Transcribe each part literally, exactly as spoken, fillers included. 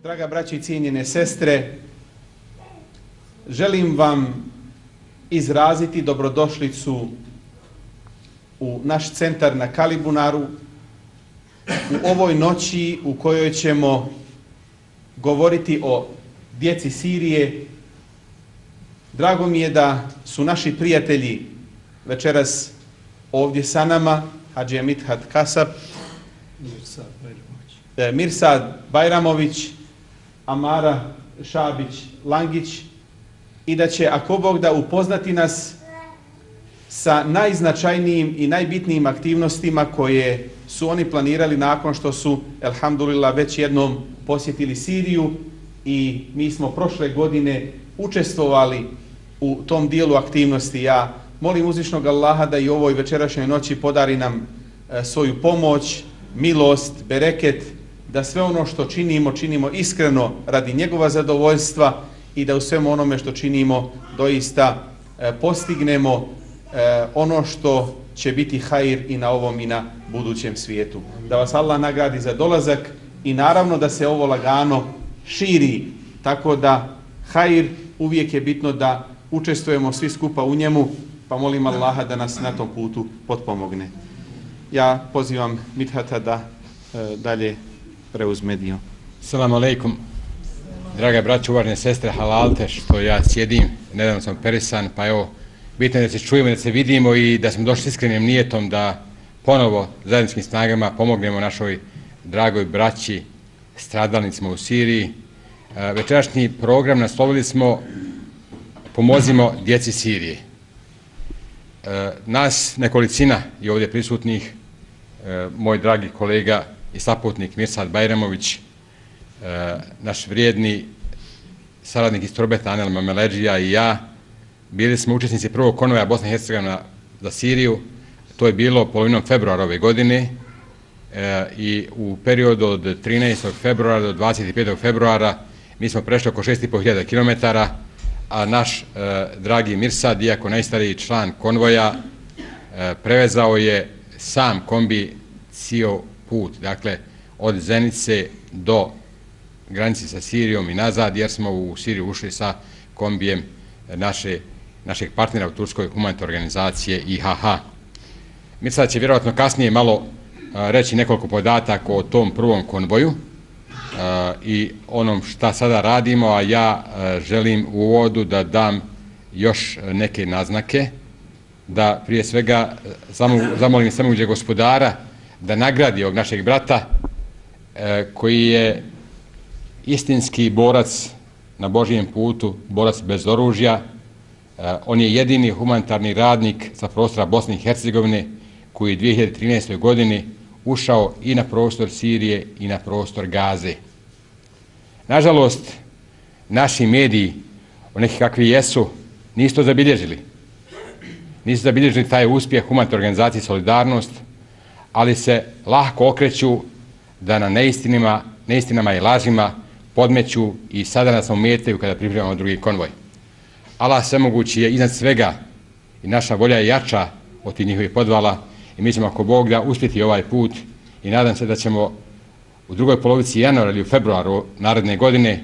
Draga braćo i cijenjene sestre, želim vam izraziti dobrodošlicu u naš centar na Kalibunaru u ovoj noći u kojoj ćemo govoriti o djeci Sirije. Drago mi je da su naši prijatelji večeras ovdje sa nama, Hadžija Mithat Kasab, Mirsad Bajramović, Amara Šabić-Langić i da će, ako Bog da, upoznati nas sa najznačajnijim i najbitnijim aktivnostima koje su oni planirali nakon što su, elhamdulillah, već jednom posjetili Siriju i mi smo prošle godine učestvovali u tom dijelu aktivnosti. Ja molim uzvišnog Allaha da i u ovoj večerašnjoj noći podari nam e, svoju pomoć, milost, bereket, da sve ono što činimo, činimo iskreno radi njegova zadovoljstva i da u svemu onome što činimo doista e, postignemo e, ono što će biti hajr i na ovom i na budućem svijetu. Da vas Allah nagradi za dolazak i naravno da se ovo lagano širi, tako da hajr uvijek je bitno da učestvujemo svi skupa u njemu, pa molim Allaha da nas na tom putu potpomogne. Ja pozivam Mithata da e, dalje preuzme dio. Assalamu alaikum. Draga braćo, uvažene sestre, halalte što ja sjedim, nedavno sam perisan, pa evo, bitno je da se čujemo, da se vidimo i da smo došli s iskrenim nijetom da ponovo zajedničkim snagama pomognemo našoj dragoj braći, stradalnicima u Siriji. E, večerašnji program naslovili smo Pomozimo djeci Sirije. E, nas nekolicina i ovdje prisutnih, e, moj dragi kolega i saputnik Mirsad Bajramović, e, naš vrijedni saradnik iz Turbeta Anel Mameleđija i ja, bili smo učesnici prvog konvoja Bosne i Hercegovine za Siriju. To je bilo polovinom februara ove godine e, i u periodu od trinaestog februara do dvadeset petog februara mi smo prešli oko šest i po hiljada kilometara, a naš e, dragi Mirsad, iako najstariji član konvoja, e, prevezao je sam kombi cijel put, dakle od Zenice do granice sa Sirijom i nazad, jer smo u Siriju ušli sa kombijem naše, našeg partnera u Turskoj humanitarne organizacije I H H. Mirsad će vjerojatno kasnije malo a, reći nekoliko podataka o tom prvom konvoju a, i onom šta sada radimo, a ja a, želim u uvodu da dam još neke naznake, da prije svega zamolim samoguđe gospodara da nagradi ovog našeg brata e, koji je istinski borac na Božijem putu, borac bez oružja. E, on je jedini humanitarni radnik sa prostora Bosne i Hercegovine koji je u dvije hiljade trinaestoj godini ušao i na prostor Sirije i na prostor Gaze. Nažalost, naši mediji, neki kakvi jesu, nisu to zabilježili. Nisu zabilježili taj uspjeh humanitarne organizacije Solidarnost, ali se lahko okreću da na neistinima, neistinama i lažima podmeću i sada nas ometaju kada pripremamo drugi konvoj. Allah svemogući je iznad svega i naša volja je jača od tih njihovih podvala i mi ćemo, ako Bog da, uspjeti ovaj put i nadam se da ćemo u drugoj polovici januara ili u februaru naredne godine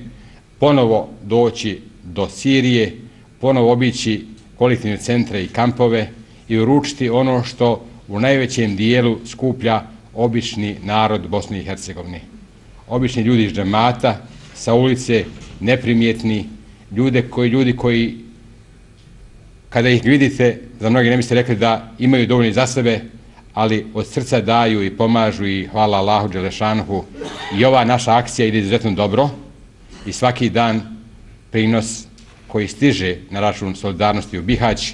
ponovo doći do Sirije, ponovo obići kolektivne centre i kampove i uručiti ono što u najvećem dijelu skuplja obični narod Bosne i Hercegovine. Obični ljudi iz džemata, sa ulice, neprimjetni, ljude koji, ljudi koji, kada ih vidite, za mnogi ne biste rekli da imaju dovoljno za sebe, ali od srca daju i pomažu i hvala Allahu Đelešanuhu. I ova naša akcija ide izuzetno dobro i svaki dan prinos koji stiže na račun Solidarnosti u Bihać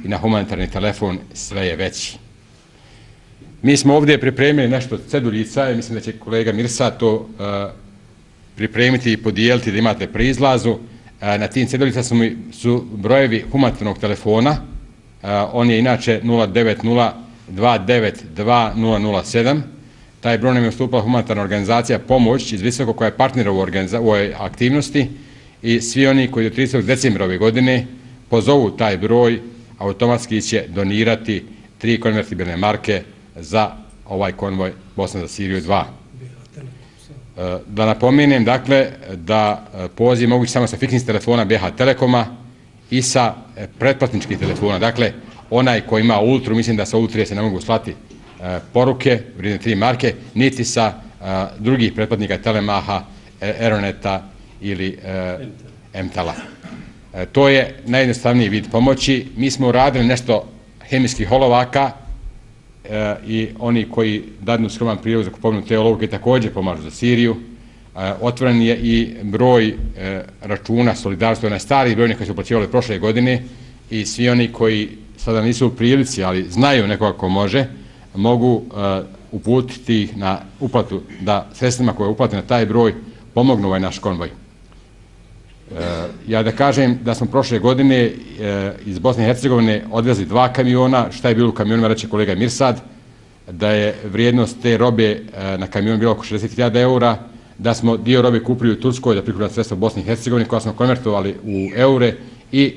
i na humanitarni telefon sve je veći. Mi smo ovdje pripremili nešto ceduljica i mislim da će kolega Mirsa to uh, pripremiti i podijeliti da imate pri izlazu. Uh, na tim ceduljica su, su brojevi humanitarnog telefona. Uh, on je inače nula devet nula dva devet dva nula nula sedam. Taj broj nam je ustupila humanitarna organizacija Pomoć iz Visoko koja je partner u, u ovoj aktivnosti i svi oni koji do tridesetog decembra ove godine pozovu taj broj, automatski će donirati tri konvertibilne marke za ovaj konvoj Bosna za Siriju dva. Da napomenem, dakle, da poziv mogu samo sa fiksnih telefona B H Telekoma i sa pretplatničkih telefona. Dakle, onaj koji ima Ultru, mislim da sa Ultrije se ne mogu slati poruke, vrijedne tri marke, niti sa drugih pretplatnika Telemaha, Eroneta ili Emtala. To je najjednostavniji vid pomoći. Mi smo uradili nešto hemijskih olovaka i oni koji dadnu skroman prilog za kupovinu te olovke također pomažu za Siriju. Otvoren je i broj računa solidarstva na stari brojni koji su uplaćivali prošle godine i svi oni koji sada nisu u prilici, ali znaju nekoga ko može, mogu uputiti ih na uplatu, da sredstvima koje uplate na taj broj pomognu ovaj naš konvoj. Ja da kažem da smo prošle godine iz Bosne i Hercegovine odvezli dva kamiona. Šta je bilo u kamionima, reče kolega Mirsad, da je vrijednost te robe na kamionu bila oko šezdeset hiljada eura, da smo dio robe kupili u Turskoj, da prikupljamo sredstva u Bosni i Hercegovini, koja smo konvertovali u eure i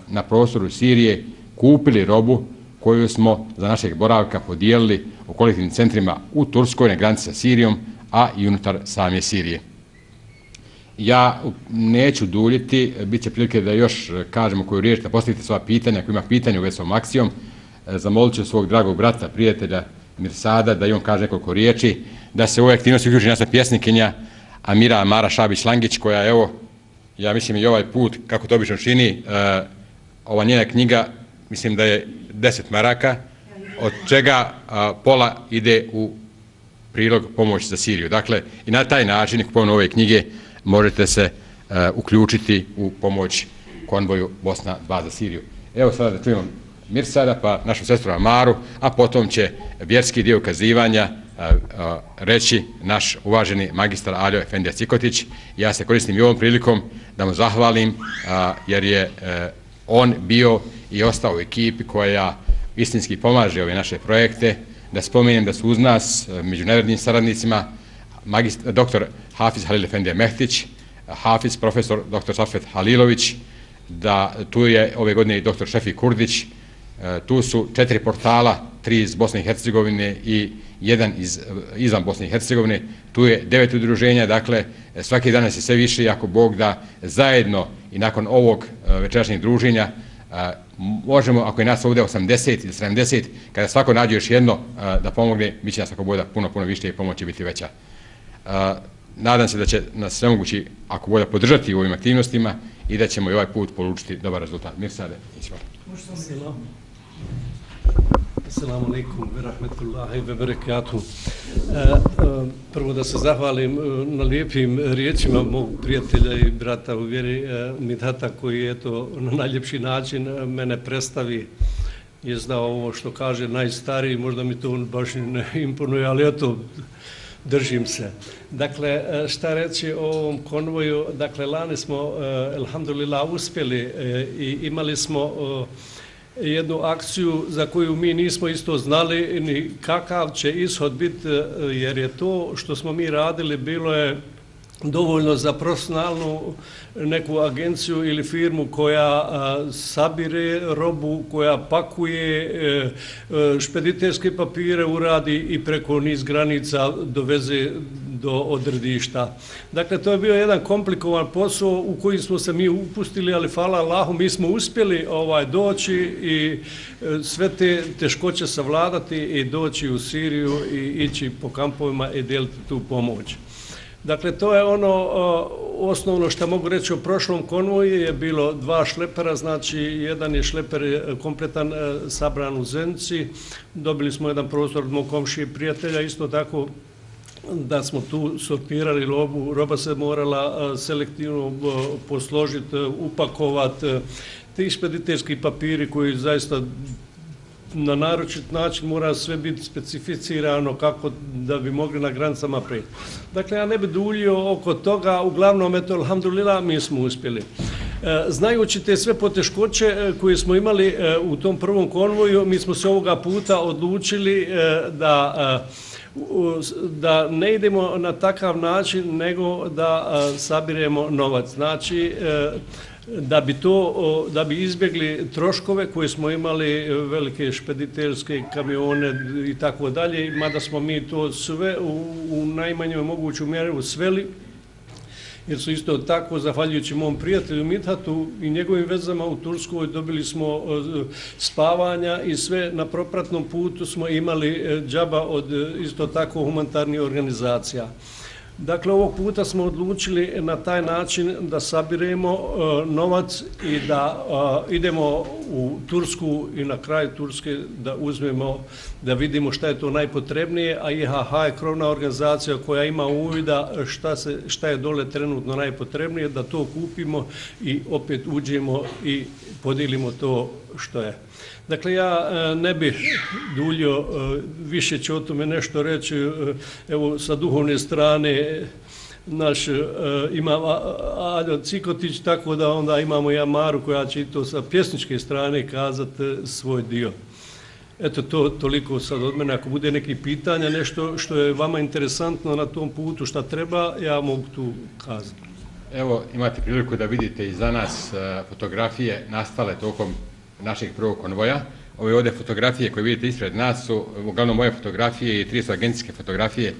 na prostoru Sirije kupili robu koju smo za našeg boravka podijelili u kolektivnim centrima u Turskoj, na granici sa Sirijom, a i unutar same Sirije. Ja neću duljiti, bit će prilike da još kažemo koju riječ, da postavite sva pitanja, ako ima pitanja u vezi s ovom akcijom. Zamolit ću svog dragog brata, prijatelja Mirsada, da i on kaže nekoliko riječi, da se u ovoj aktivnosti uključi naša pjesnikinja Amira Amara Šabić-Langić, koja, evo, ja mislim i ovaj put, kako to obično čini, ova njena knjiga, mislim da je deset maraka, od čega pola ide u prilog pomoći za Siriju. Dakle, i na taj način, kupovno ove knjige, možete se uh, uključiti u pomoć konvoju Bosna dva za Siriju. Evo sada da čujemo Mirsada, pa našu sestru Amaru, a potom će vjerski dio ukazivanja uh, uh, reći naš uvaženi magistar Aljo Efendija Cikotić. Ja se koristim i ovom prilikom da mu zahvalim, uh, jer je uh, on bio i ostao u ekipi koja istinski pomaže ove naše projekte. Da spomenem da su uz nas uh, među najvrednijim saradnicima Magist, doktor Hafiz Halil Efendija Mehtić, Hafiz profesor doktor Safet Halilović, da tu je ove godine i doktor Šefi Kurdić, tu su četiri portala, tri iz Bosne i Hercegovine i jedan iz, izvan Bosne i Hercegovine, tu je devet udruženja, dakle svaki dan je sve više i ako Bog da zajedno i nakon ovog večerašnjeg druženja možemo, ako je nas ovdje osamdeset ili sedamdeset, kada svako nađe još jedno da pomogne, mi će nas ako Bog da puno, puno više i pomoć će biti veća. Uh, nadam se da će nas sve mogući, ako bolje, podržati u ovim aktivnostima i da ćemo i ovaj put polučiti dobar rezultat. Mirsade, izvoli. Assalamu alaikum wa rahmatullahi wa barakatuh. Prvo da se zahvalim na lijepim riječima mog prijatelja i brata u vjeri Midhata, koji je to na najljepši način mene predstavi. Je znao ovo što kaže najstariji, možda mi to baš ne imponuje, ali eto, držim se. Dakle, šta reći o ovom konvoju? Dakle, lani smo, elhamdulillah, uspjeli i imali smo jednu akciju za koju mi nismo isto znali ni kakav će ishod biti, jer je to što smo mi radili bilo je dovoljno za profesionalnu neku agenciju ili firmu koja a, sabire robu, koja pakuje e, e, špediterske papire, uradi i preko niz granica doveze do odredišta. Dakle, to je bio jedan komplikovan posao u koji smo se mi upustili, ali hvala Allahu, mi smo uspjeli ovaj, doći i e, sve te teškoće savladati i doći u Siriju i ići po kampovima i deliti tu pomoć. Dakle, to je ono o, osnovno što mogu reći o prošlom konvoju. Je bilo dva šlepera, znači jedan je šleper kompletan e, sabran u Zenici. Dobili smo jedan prostor od mog komšije prijatelja, isto tako da smo tu sortirali robu. Roba se morala e, selektivno e, posložiti, e, upakovati. E, ti špediterski papiri koji zaista na naročit način mora sve biti specificirano kako da bi mogli na granicama prejti. Dakle, ja ne bi duljio oko toga, uglavnom, eto, alhamdulillah, mi smo uspjeli. E, znajući te sve poteškoće e, koje smo imali e, u tom prvom konvoju, mi smo se ovoga puta odlučili e, da, e, da ne idemo na takav način, nego da e, sabiremo novac. Znači, e, da bi to, da bi izbjegli troškove koje smo imali, velike špediterske kamione i tako dalje, mada smo mi to sve u, u najmanjoj moguću mjeru sveli, jer su isto tako, zahvaljujući mom prijatelju Mithatu i njegovim vezama u Turskoj, dobili smo spavanja i sve na propratnom putu smo imali džaba od isto tako humanitarnih organizacija. Dakle, ovog puta smo odlučili na taj način da sabiremo uh, novac i da uh, idemo u Tursku i na kraj Turske da uzmemo, da vidimo šta je to najpotrebnije, a I H H je krovna organizacija koja ima uvida šta, se, šta je dole trenutno najpotrebnije, da to kupimo i opet uđemo i podijelimo to što je. Dakle, ja ne bih duljio, više ću o tome nešto reći, evo sa duhovne strane naš ima Aljo Cikotić, tako da onda imamo i Amaru koja će i to sa pjesničke strane kazati svoj dio. Eto, to toliko sad od mene. Ako bude neki pitanja, nešto što je vama interesantno na tom putu, šta treba, ja mogu tu kazati. Evo, imate priliku da vidite i za nas fotografije nastale tokom našeg prvog konvoja. Ove ovdje fotografije koje vidite ispred nas su uglavnom moje fotografije i tri su agencijske fotografije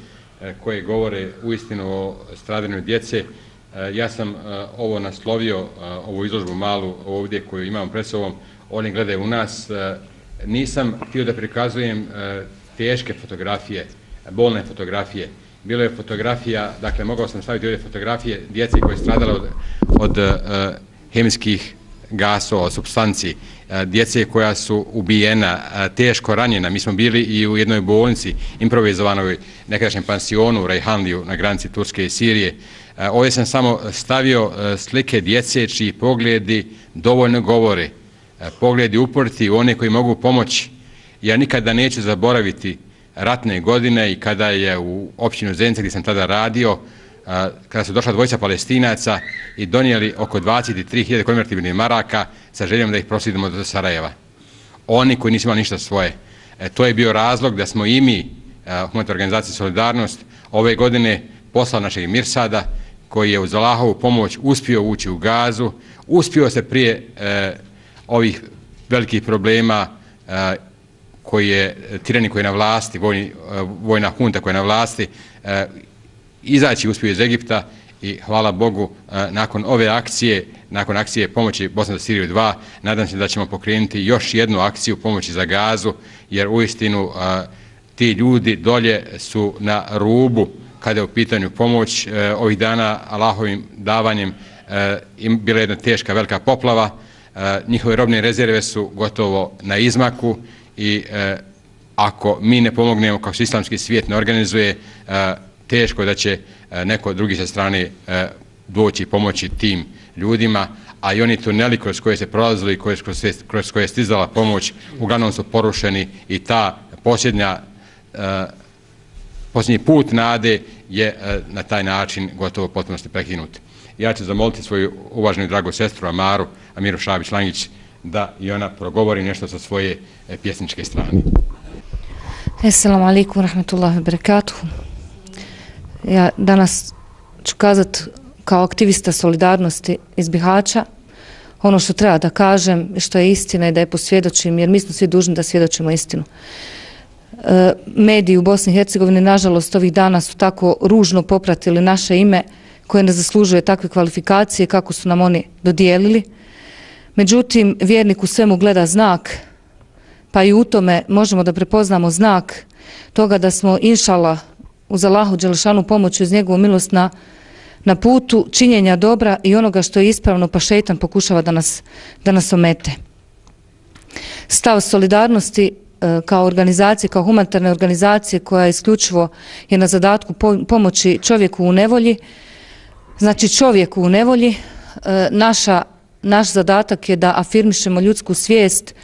koje govore uistinu o stradanju djece. Ja sam ovo naslovio, ovu izložbu malu ovdje koju imam pred sobom, oni gledaju u nas. Nisam htio da prikazujem teške fotografije, bolne fotografije. Bilo je fotografija, dakle mogao sam staviti ovdje fotografije djece koje je stradala od, od hemijskih gasova, supstanci, djece koja su ubijena, teško ranjena. Mi smo bili i u jednoj bolnici, improvizovanoj nekadašnjem pansionu u Rejhanliju na granici Turske i Sirije. Ovdje sam samo stavio slike djece čiji pogledi dovoljno govore, pogledi uporiti u one koji mogu pomoći. Ja nikada neću zaboraviti ratne godine i kada je u općinu Zenica gdje sam tada radio, kada su došla dvojica Palestinaca i donijeli oko dvadeset tri hiljade konvertibilnih maraka sa željom da ih proslijedimo do Sarajeva. Oni koji nisu imali ništa svoje. E, to je bio razlog da smo i mi, humanitarna organizacija Solidarnost, ove godine poslali našeg Mirsada, koji je uz Allahovu pomoć uspio ući u Gazu, uspio se prije e, ovih velikih problema e, koji je tirani koji je na vlasti, vojni, vojna hunta koja je na vlasti, e, izaći uspio iz Egipta i hvala Bogu nakon ove akcije, nakon akcije pomoći Bosna za Siriju dva, nadam se da ćemo pokrenuti još jednu akciju pomoći za Gazu, jer uistinu ti ljudi dolje su na rubu kada je u pitanju pomoć. Ovih dana Allahovim davanjem bila je jedna teška velika poplava, njihove robne rezerve su gotovo na izmaku i ako mi ne pomognemo, kako se islamski svijet ne organizuje, teško da će neko drugi sa strane doći pomoći tim ljudima, a i oni tuneli kroz koje se prolazili i kroz koje je stizala pomoć uglavnom su porušeni i ta posljednja, posljednji put nade je na taj način gotovo potpunosti prekinut. Ja ću zamoliti svoju uvaženu dragu sestru Amaru, Amiru Šabić-Langić, da i ona progovori nešto sa svoje pjesničke strane. Assalamu alaikum rahmetullahi wa barakatuhu. Ja danas ću kazati kao aktivista solidarnosti iz Bihaća ono što treba da kažem, što je istina i da je posvjedočim, jer mi smo svi dužni da svjedočimo istinu. E, mediji u Bosni i Hercegovini, nažalost, ovih dana su tako ružno popratili naše ime koje ne zaslužuje takve kvalifikacije kako su nam oni dodijelili. Međutim, vjernik u svemu gleda znak, pa i u tome možemo da prepoznamo znak toga da smo, inšala, uz Allahu dželešanu pomoć uz njegovu milost na, na putu činjenja dobra i onoga što je ispravno, pa šejtan pokušava da nas, da nas omete. Stav solidarnosti e, kao organizacije, kao humanitarne organizacije koja isključivo je na zadatku po, pomoći čovjeku u nevolji, znači čovjeku u nevolji, e, naša, naš zadatak je da afirmišemo ljudsku svijest,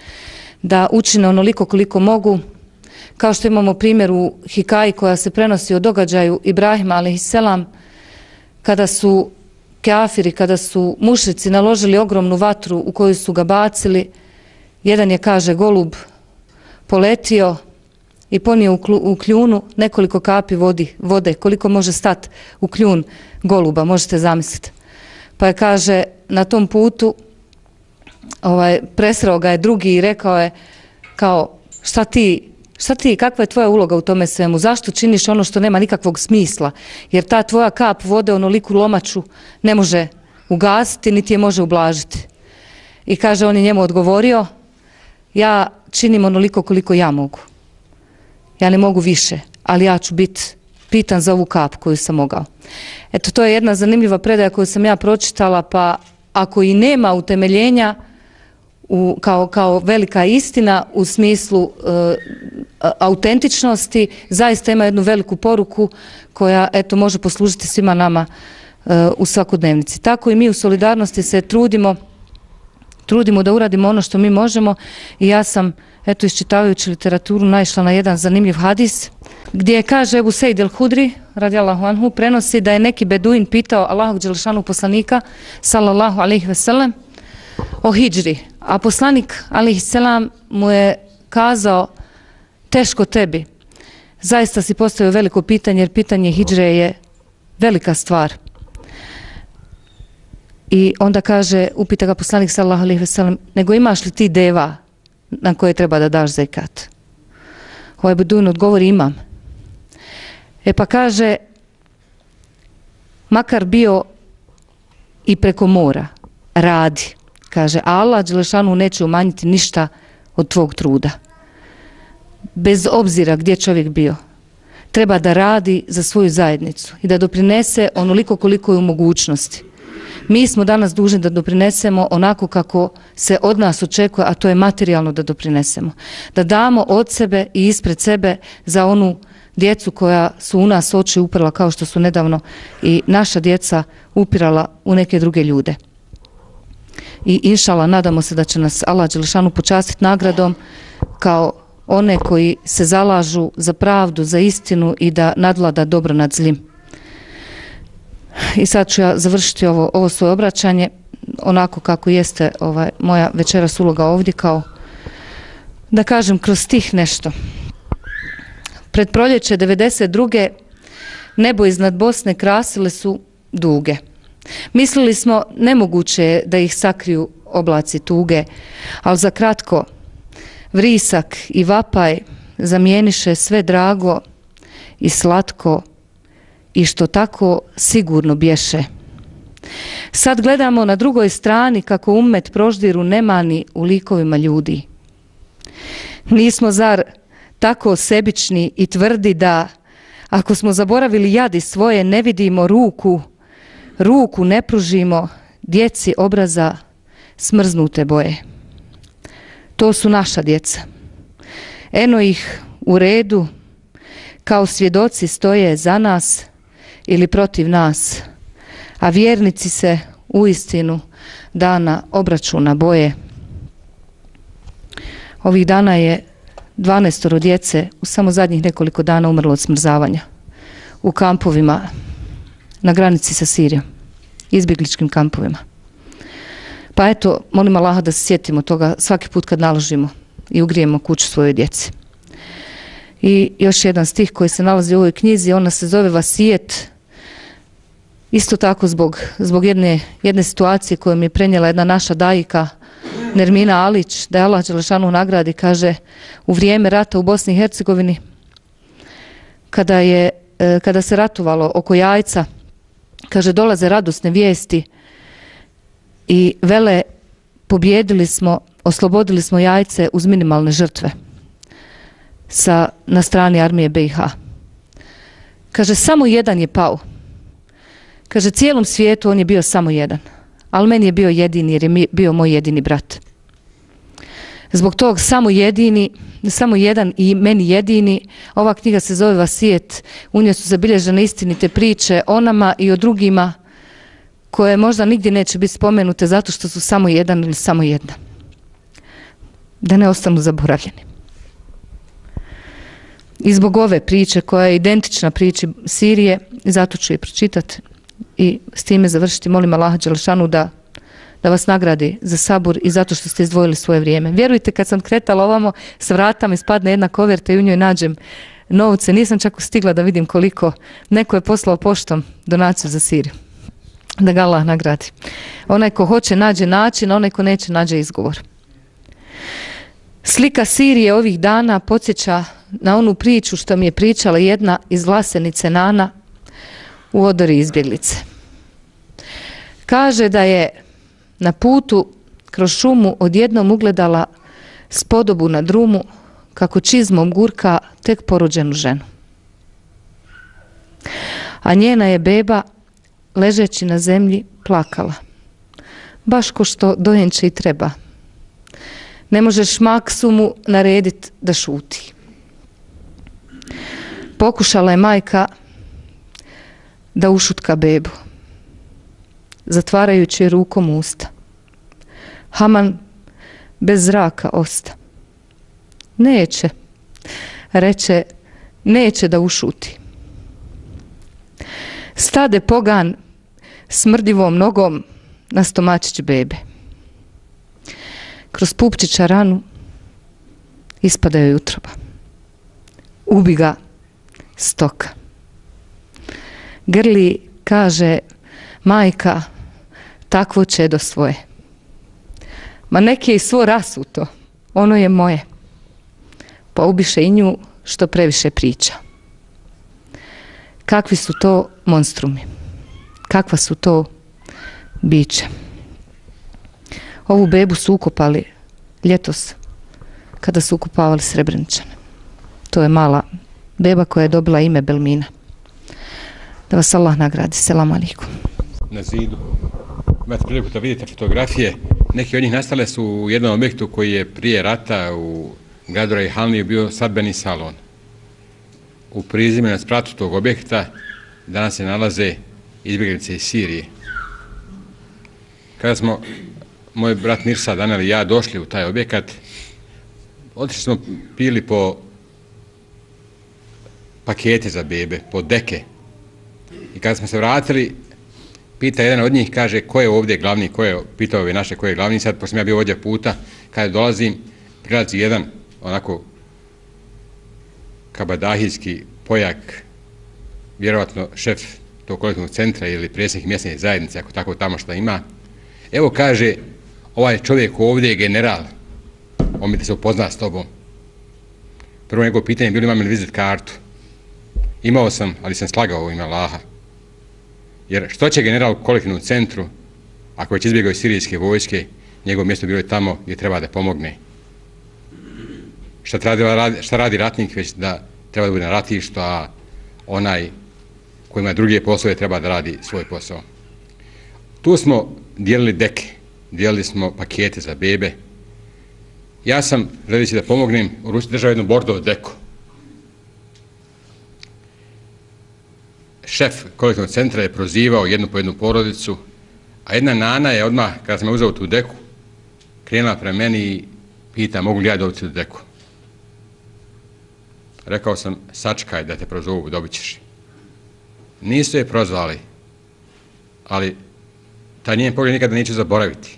da učine onoliko koliko mogu, kao što imamo primjer u Hikaji koja se prenosi o događaju Ibrahima alejselam, kada su kafiri, kada su mušrici naložili ogromnu vatru u koju su ga bacili, jedan je, kaže, golub poletio i ponio u kljunu nekoliko kapi vodi, vode, koliko može stati u kljun goluba, možete zamisliti. Pa je, kaže, na tom putu ovaj, presreo ga je drugi i rekao je kao šta ti, šta ti, kakva je tvoja uloga u tome svemu, zašto činiš ono što nema nikakvog smisla, jer ta tvoja kap vode onoliku lomaču ne može ugasiti niti je može ublažiti. I kaže, on je njemu odgovorio, ja činim onoliko koliko ja mogu. Ja ne mogu više, ali ja ću biti pitan za ovu kap koju sam mogao. Eto, to je jedna zanimljiva predaja koju sam ja pročitala, pa ako i nema utemeljenja u, kao, kao velika istina u smislu e, autentičnosti, zaista ima jednu veliku poruku koja eto, može poslužiti svima nama e, u svakodnevnici. Tako i mi u Solidarnosti se trudimo trudimo da uradimo ono što mi možemo i ja sam, eto, iščitavajući literaturu naišla na jedan zanimljiv hadis gdje kaže Ebu Sejd el-Hudri, radijallahu anhu, prenosi da je neki beduin pitao Allahog dželešanu poslanika, sallallahu alejhi ve sellem, o hidžri, a poslanik, alejhi selam, mu je kazao, teško tebi, zaista si postavio veliko pitanje, jer pitanje hidžre je velika stvar. I onda kaže, upita ga poslanik sallallahu alejhi ve sellem, nego imaš li ti deva na koje treba da daš zekat? Ovaj beduin odgovori, imam. E pa kaže, makar bio i preko mora, radi. Kaže, a Allah dželešanu neće umanjiti ništa od tvog truda. Bez obzira gdje čovjek bio, treba da radi za svoju zajednicu i da doprinese onoliko koliko je u mogućnosti. Mi smo danas dužni da doprinesemo onako kako se od nas očekuje, a to je materijalno da doprinesemo. Da damo od sebe i ispred sebe za onu djecu koja su u nas oči uprla, kao što su nedavno i naša djeca upirala u neke druge ljude. I inšala, nadamo se da će nas Allah dželešanu počastiti nagradom kao one koji se zalažu za pravdu, za istinu i da nadvlada dobro nad zlim. I sad ću ja završiti ovo, ovo svoje obraćanje onako kako jeste ovaj, moja večeras uloga ovdje, kao da kažem kroz stih nešto. Pred proljeće devedeset druge nebo iznad Bosne krasile su duge. Mislili smo nemoguće je da ih sakriju oblaci tuge, ali za kratko vrisak i vapaj zamijeniše sve drago i slatko i što tako sigurno bješe. Sad gledamo na drugoj strani kako ummet proždiru nemani u likovima ljudi. Nismo zar tako sebični i tvrdi da ako smo zaboravili jadi svoje ne vidimo ruku, ruku ne pružimo djeci obraza smrznute boje. To su naša djeca. Eno ih u redu, kao svjedoci stoje za nas ili protiv nas, a vjernici se uistinu dana obračuna boje. Ovih dana je dvanaestoro djece u samo zadnjih nekoliko dana umrlo od smrzavanja u kampovima na granici sa Sirijom, izbjegličkim kampovima. Pa eto, molim Allaha da se sjetimo toga svaki put kad naložimo i ugrijemo kuću svojoj djeci. I još jedan stih koji se nalazi u ovoj knjizi, ona se zove Vasijet, isto tako zbog, zbog jedne, jedne situacije koju mi je prenijela jedna naša dajika, Nermina Alić, da je Allah dželešanu nagradi, kaže, u vrijeme rata u Bosni i Hercegovini, kada, je, kada se ratovalo oko Jajca, kaže, dolaze radosne vijesti i vele, pobjedili smo, oslobodili smo Jajce uz minimalne žrtve sa, na strani armije B i H. Kaže, samo jedan je pao. Kaže, cijelom svijetu on je bio samo jedan, ali meni je bio jedini jer je bio moj jedini brat. Zbog tog samo jedini, samo jedan i meni jedini, ova knjiga se zove Vasijet, u njoj su zabilježene istinite priče o nama i o drugima koje možda nigdje neće biti spomenute zato što su samo jedan ili samo jedna. Da ne ostanu zaboravljeni. I zbog ove priče koja je identična priči Sirije, zato ću je pročitati i s time završiti. Molim Allaha dželešanu da, da vas nagradi za sabur i zato što ste izdvojili svoje vrijeme. Vjerujte, kad sam kretala ovamo, s vrata mi spadne jedna koverta i u njoj nađem novce. Nisam čak stigla da vidim koliko. Neko je poslao poštom donaciju za Siriju. Da ga Allah nagradi. Onaj ko hoće nađe način, onaj ko neće nađe izgovor. Slika Sirije ovih dana podsjeća na onu priču što mi je pričala jedna iz Vlasenice Nana u odori izbjeglice. Kaže da je na putu kroz šumu odjednom ugledala spodobu na drumu kako čizmom gurka tek porođenu ženu. A njena je beba, ležeći na zemlji, plakala. Baš ko što dojenče i treba. Ne možeš maksumu narediti da šuti. Pokušala je majka da ušutka bebu, zatvarajući rukom usta. Haman bez zraka osta. Neće, reče, neće da ušuti. Stade pogan smrdivom nogom na stomačić bebe. Kroz pupčića ranu ispada joj utroba. Ubi ga stoka. Grli, kaže majka, takvo čedo svoje. Ma neki je i svo rasuto, ono je moje. Pa ubiše i nju što previše priča. Kakvi su to monstrumi? Kakva su to biće? Ovu bebu su ukopali ljetos kada su ukopavali Srebreničane. To je mala beba koja je dobila ime Belmina. Da vas Allah nagradi. Selam alaikum. Na zidu imate priliku da vidite fotografije. Neki od njih nastale su u jednom objektu koji je prije rata u gradu Rejhanliju bio svadbeni salon. U prizemlju na spratu tog objekta danas se nalaze izbjeglice iz Sirije. Kada smo moj brat Mirsad, Anel i ja došli u taj objekat, otišli smo pili po pakete za bebe, po deke. I kada smo se vratili, pita jedan od njih, kaže, ko je ovdje glavni, ko je, pitao ove naše, ko je glavni, sad, pošto sam ja bio ovdje puta, kada dolazim, prilazi jedan, onako, kabadahijski pojak, vjerovatno šef tog kolektivnog centra ili predsjednik mjesne zajednice, ako tako tamo što ima. Evo, kaže, ovaj čovjek ovdje je general, on mi da se upozna s tobom. Prvo njegovo pitanje je bilo imam li vizit kartu. Imao sam, ali sam slagao u ime Allaha. Jer što će general u kolektivnom centru, ako već izbjegao iz sirijske vojske, njegovo mjesto bilo je tamo gdje treba da pomogne. Šta, radi, šta radi ratnik, već da treba da bude na ratištu, a onaj koji ima druge poslove treba da radi svoj posao. Tu smo dijelili deke, dijelili smo pakete za bebe. Ja sam, želeći da pomognem, u ruci držao jednu bordovu deku. Šef kolektivnog centra je prozivao jednu po jednu porodicu, a jedna nana je odmah, kada sam uzeo tu deku, krenula prema meni i pita mogu li ja dobiti tu deku. Rekao sam, sačekaj da te prozovu, dobit ćeš. Nisu je prozvali, ali taj njen pogled nikada neću zaboraviti.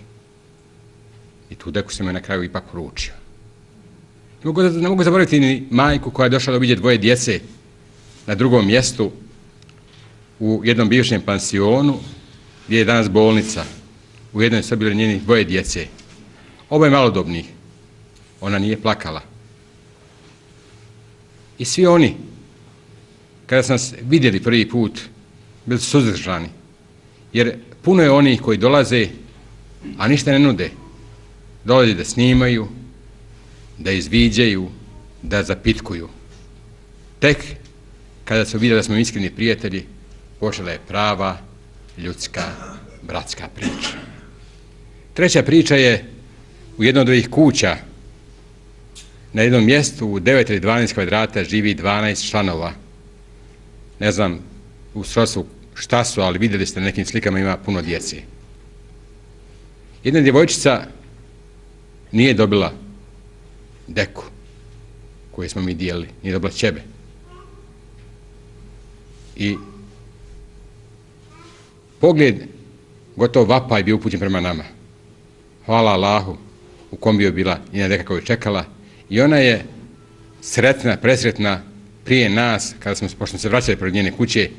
I tu deku sam joj na kraju ipak poručio. Ne mogu, ne mogu zaboraviti ni majku koja je došla da obiđe dvoje djece na drugom mjestu u jednom bivšem pansionu gdje je danas bolnica. U jednoj su bili njeni dvoje djece. Oboje malodobnih. Ona nije plakala. I svi oni, kada sam nas vidjeli prvi put, bili su suzdržani. Jer puno je onih koji dolaze, a ništa ne nude. Dolaze da snimaju, da izviđaju, da zapitkuju. Tek kada su vidjeli da smo iskreni prijatelji, počela je prava, ljudska, bratska priča. Treća priča je u jednoj od ovih kuća. Na jednom mjestu u devet ili dvanaest kvadrata živi dvanaest članova. Ne znam u srodstvu šta su, ali vidjeli ste na nekim slikama ima puno djece. Jedna djevojčica nije dobila deku koju smo mi dijelili, nije dobila ćebe. I pogled gotovo vapaj bio upućen prema nama. Hvala Allahu u kom bio bila njena deka koju je čekala. I ona je sretna, presretna prije nas, kada smo, pošto smo se vraćali pred njene kuće,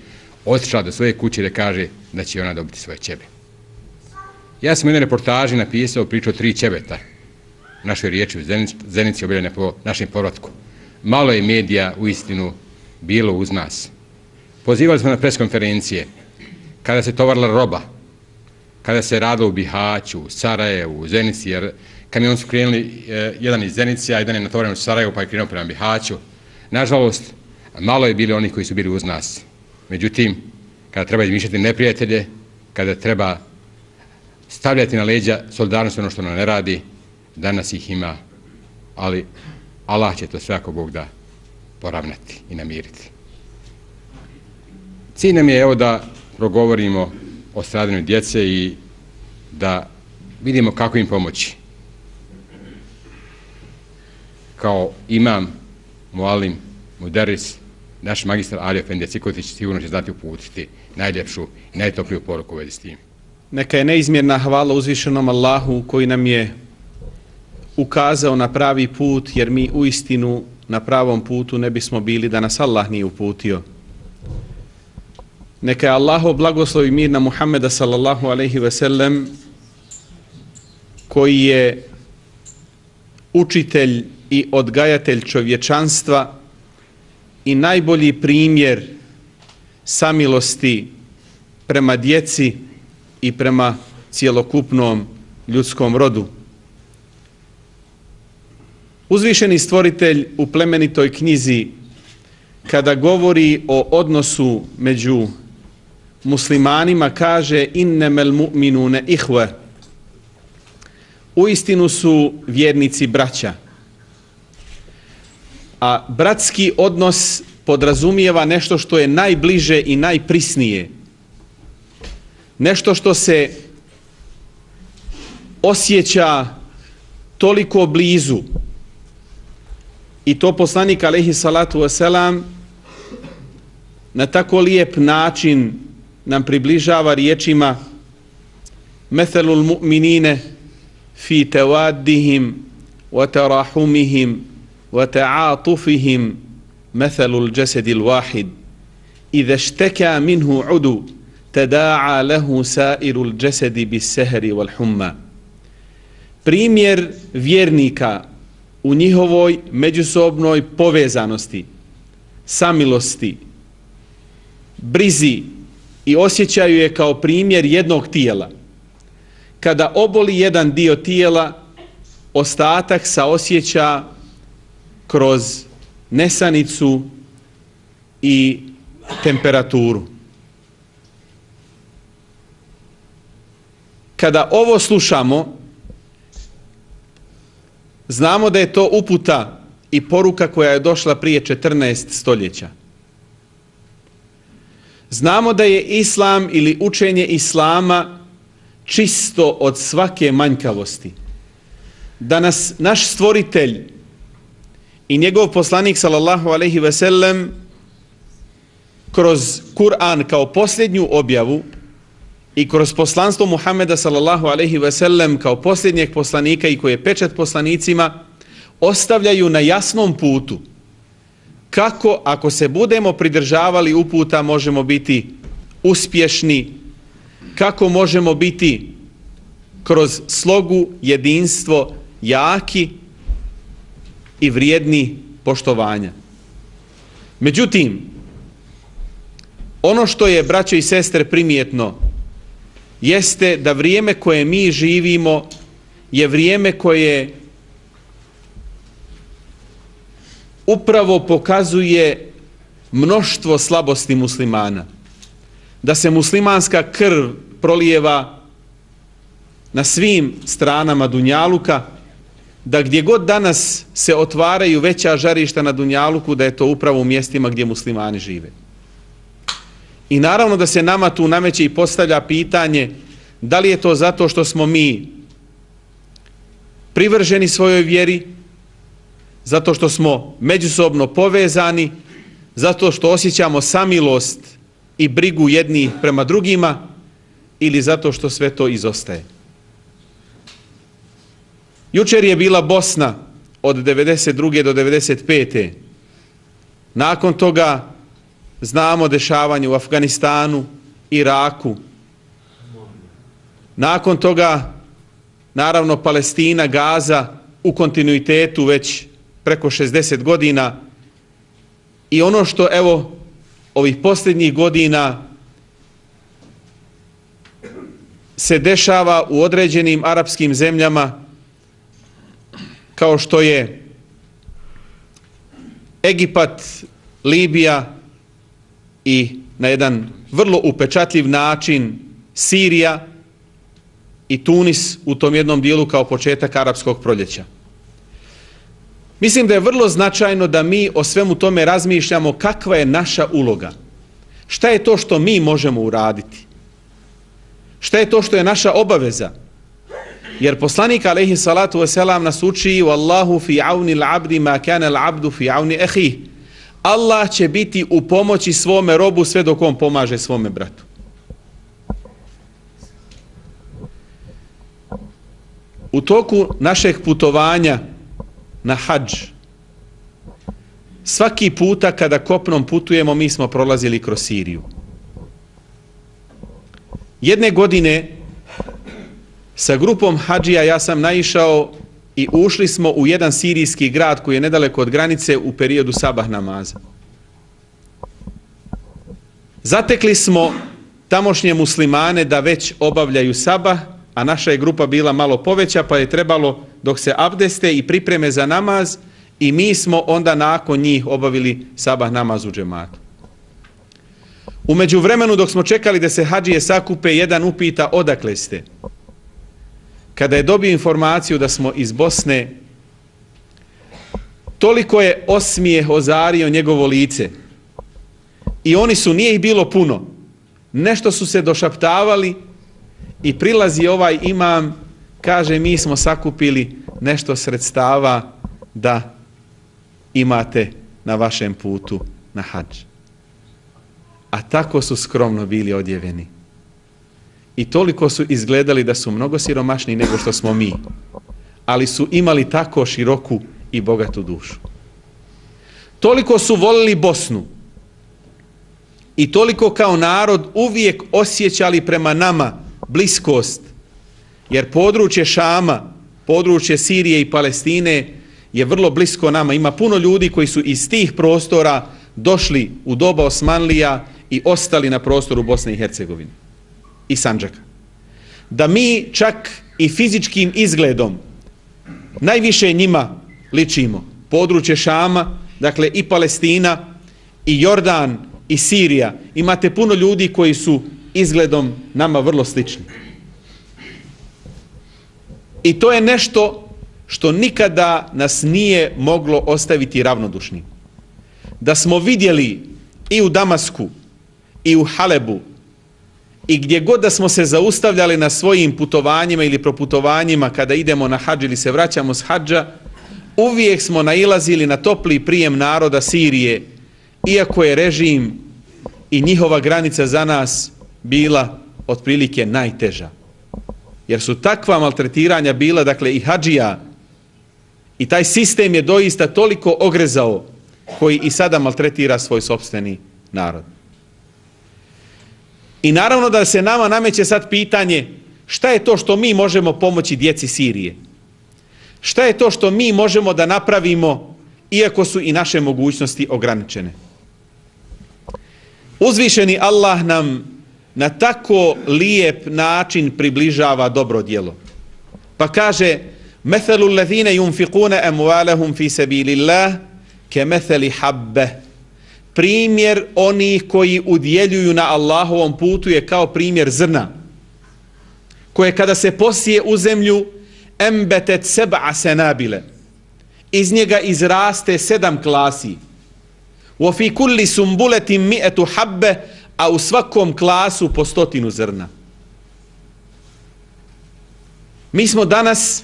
otišla do svoje kuće da kaže da će ona dobiti svoje ćebe. Ja sam u jednoj reportaži napisao priču o tri ćebeta, našoj riječi u Zenici, Zenici objavljene po našem povratku. Malo je medija u istinu bilo uz nas. Pozivali smo na preskonferencije, kada se tovarila roba, kada se radilo u Bihaću, u Sarajevu, u Zenici, jer kamion su krenuli eh, jedan iz Zenice, a jedan je natovaran u Sarajevu, pa je krenuo prema Bihaću. Nažalost, malo je bili oni koji su bili uz nas. Međutim, kada treba izmišljati neprijatelje, kada treba stavljati na leđa solidarnost ono što nam ne radi, danas ih ima, ali Allah će to sve ako Bog da poravnati i namiriti. Cilj nam je evo da progovorimo o stradanju djece i da vidimo kako im pomoći. Kao imam, mualim, muderis, naš magistar Ali Efendija Cikotić sigurno će znati uputiti najljepšu i najtopliju poruku u vezi s tim. Neka je neizmjerna hvala uzvišenom Allahu koji nam je ukazao na pravi put, jer mi uistinu na pravom putu ne bismo bili da nas Allah nije uputio. Neka je Allahov blagoslov i mir na Muhammeda sallallahu alejhi ve sellem, koji je učitelj i odgajatelj čovječanstva i najbolji primjer samilosti prema djeci i prema cjelokupnom ljudskom rodu. Uzvišeni stvoritelj u plemenitoj knjizi, kada govori o odnosu među muslimanima, kaže innemel mu'minune ihve. Uistinu su vjernici braća. A bratski odnos podrazumijeva nešto što je najbliže i najprisnije. Nešto što se osjeća toliko blizu. I to poslanik alejhi salatu vesselam na tako lijep način nam približava riječima Methelul mu'minine fi tevaddihim wa tarahumihim wa ta'atufihim methelul jasadil wahid idha ishtaka minhu udu tada'a lahu sa'irul jasadi bis sehri wal humma. Primjer vjernika u njihovoj međusobnoj povezanosti, samilosti, brizi i osjećaju je kao primjer jednog tijela. Kada oboli jedan dio tijela, ostatak saosjeća kroz nesanicu i temperaturu. Kada ovo slušamo, znamo da je to uputa i poruka koja je došla prije četrnaest stoljeća. Znamo da je islam ili učenje islama čisto od svake manjkavosti. Da nas naš stvoritelj i njegov poslanik sallallahu alejhi ve sellem kroz Kur'an kao posljednju objavu i kroz poslanstvo Muhameda sallallahu alejhi ve sellem kao posljednjeg poslanika i koji je pečat poslanicima ostavljaju na jasnom putu kako ako se budemo pridržavali uputa možemo biti uspješni, kako možemo biti kroz slogu, jedinstvo, jaki i vrijedni poštovanja. Međutim, ono što je, braćo i sestre, primjetno jeste da vrijeme koje mi živimo je vrijeme koje upravo pokazuje mnoštvo slabosti muslimana. Da se muslimanska krv prolijeva na svim stranama dunjaluka, da gdje god danas se otvaraju veća žarišta na dunjaluku, da je to upravo u mjestima gdje muslimani žive. I naravno da se nama tu nameće i postavlja pitanje da li je to zato što smo mi privrženi svojoj vjeri, zato što smo međusobno povezani, zato što osjećamo samilost i brigu jedni prema drugima, ili zato što sve to izostaje. Jučer je bila Bosna od devedeset druge do devedeset pete. Nakon toga znamo dešavanje u Afganistanu, Iraku. Nakon toga, naravno, Palestina, Gaza u kontinuitetu već preko šezdeset godina i ono što, evo, ovih posljednjih godina se dešava u određenim arapskim zemljama kao što je Egipat, Libija i na jedan vrlo upečatljiv način Sirija i Tunis u tom jednom dijelu kao početak arapskog proljeća. Mislim da je vrlo značajno da mi o svemu tome razmišljamo kakva je naša uloga. Šta je to što mi možemo uraditi? Šta je to što je naša obaveza? Jer poslanik alejhi salatu vesselam nas uči Wallahu fi auni al-abdi ma kana al-abdu fi auni akhihi. Allah će biti u pomoći svome robu sve dok on pomaže svome bratu. U toku našeg putovanja na hadž, svaki puta kada kopnom putujemo, mi smo prolazili kroz Siriju. Jedne godine sa grupom hadžija ja sam naišao i ušli smo u jedan sirijski grad koji je nedaleko od granice u periodu sabah namaza. Zatekli smo tamošnje muslimane da već obavljaju sabah, a naša je grupa bila malo poveća, pa je trebalo dok se abdeste i pripreme za namaz i mi smo onda nakon njih obavili sabah namaz u džematu. U međuvremenu dok smo čekali da se hadžije sakupe, jedan upita odakle ste. Kada je dobio informaciju da smo iz Bosne, toliko je osmijeh ozario njegovo lice. I oni su, nije ih bilo puno, nešto su se došaptavali i prilazi ovaj imam, kaže mi smo sakupili nešto sredstava da imate na vašem putu na hadž. A tako su skromno bili odjeveni. I toliko su izgledali da su mnogo siromašniji nego što smo mi. Ali su imali tako široku i bogatu dušu. Toliko su volili Bosnu. I toliko kao narod uvijek osjećali prema nama bliskost. Jer područje Šama, područje Sirije i Palestine je vrlo blisko nama. Ima puno ljudi koji su iz tih prostora došli u doba Osmanlija i ostali na prostoru Bosne i Hercegovine i Sandžaka. Da mi čak i fizičkim izgledom najviše njima ličimo. Područje Šama, dakle i Palestina, i Jordan, i Sirija. Imate puno ljudi koji su izgledom nama vrlo slični. I to je nešto što nikada nas nije moglo ostaviti ravnodušni. Da smo vidjeli i u Damasku, i u Halebu, i gdje god da smo se zaustavljali na svojim putovanjima ili proputovanjima kada idemo na hadž ili se vraćamo s hadža, uvijek smo nailazili na topli prijem naroda Sirije, iako je režim i njihova granica za nas bila otprilike najteža. Jer su takva maltretiranja bila, dakle i hadžija, i taj sistem je doista toliko ogrezao koji i sada maltretira svoj sopstveni narod. I naravno da se nama nameće sad pitanje šta je to što mi možemo pomoći djeci Sirije? Šta je to što mi možemo da napravimo iako su i naše mogućnosti ograničene? Uzvišeni Allah nam na tako lijep način približava dobro djelo. Pa kaže Methalu allazina yunfiquna amwalahum fi sabilillah kemethali habbe. Primjer onih koji udjeljuju na Allahovom putu je kao primjer zrna, koje kada se posije u zemlju, embetet seb'a senabile, iz njega izraste sedam klasi. Wa fi kulli sumbuletin mi'atu habbe, a u svakom klasu po stotinu zrna. Mi smo danas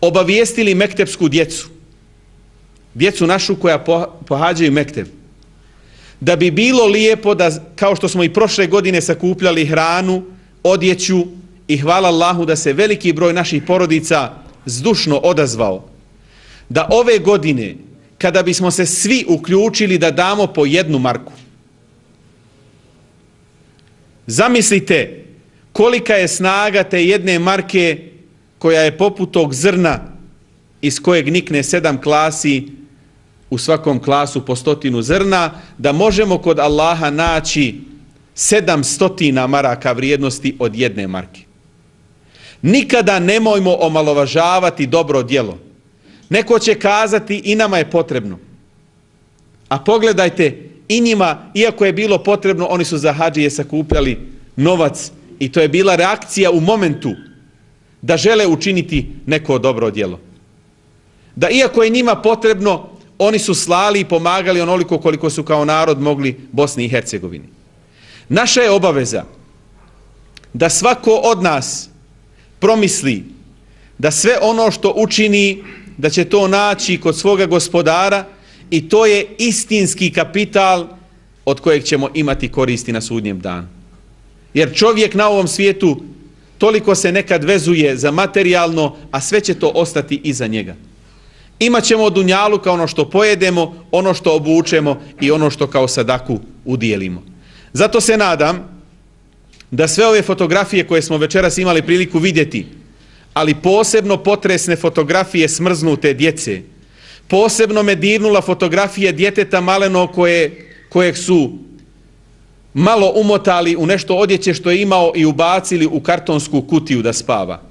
obavijestili mektepsku djecu, djecu našu koja pohađaju mekteb, da bi bilo lijepo da, kao što smo i prošle godine sakupljali hranu, odjeću i hvala Allahu da se veliki broj naših porodica zdušno odazvao, da ove godine, kada bismo se svi uključili da damo po jednu marku, zamislite kolika je snaga te jedne marke koja je poput tog zrna iz kojeg nikne sedam klasi, u svakom klasu po stotinu zrna, da možemo kod Allaha naći sedam stotina maraka vrijednosti od jedne marke. Nikada nemojmo omalovažavati dobro djelo. Neko će kazati i nama je potrebno. A pogledajte, i njima, iako je bilo potrebno, oni su za hadžije sakupljali novac i to je bila reakcija u momentu da žele učiniti neko dobro djelo. Da iako je njima potrebno, oni su slali i pomagali onoliko koliko su kao narod mogli Bosni i Hercegovini. Naša je obaveza da svako od nas promisli da sve ono što učini, da će to naći kod svoga gospodara i to je istinski kapital od kojeg ćemo imati koristi na sudnjem danu. Jer čovjek na ovom svijetu toliko se nekad vezuje za materijalno, a sve će to ostati iza njega. Imaćemo od dunjaluka ono što pojedemo, ono što obučemo i ono što kao sadaku udijelimo. Zato se nadam da sve ove fotografije koje smo večeras imali priliku vidjeti, ali posebno potresne fotografije smrznute djece, posebno me dirnula fotografije djeteta maleno koje, kojeg su malo umotali u nešto odjeće što je imao i ubacili u kartonsku kutiju da spava.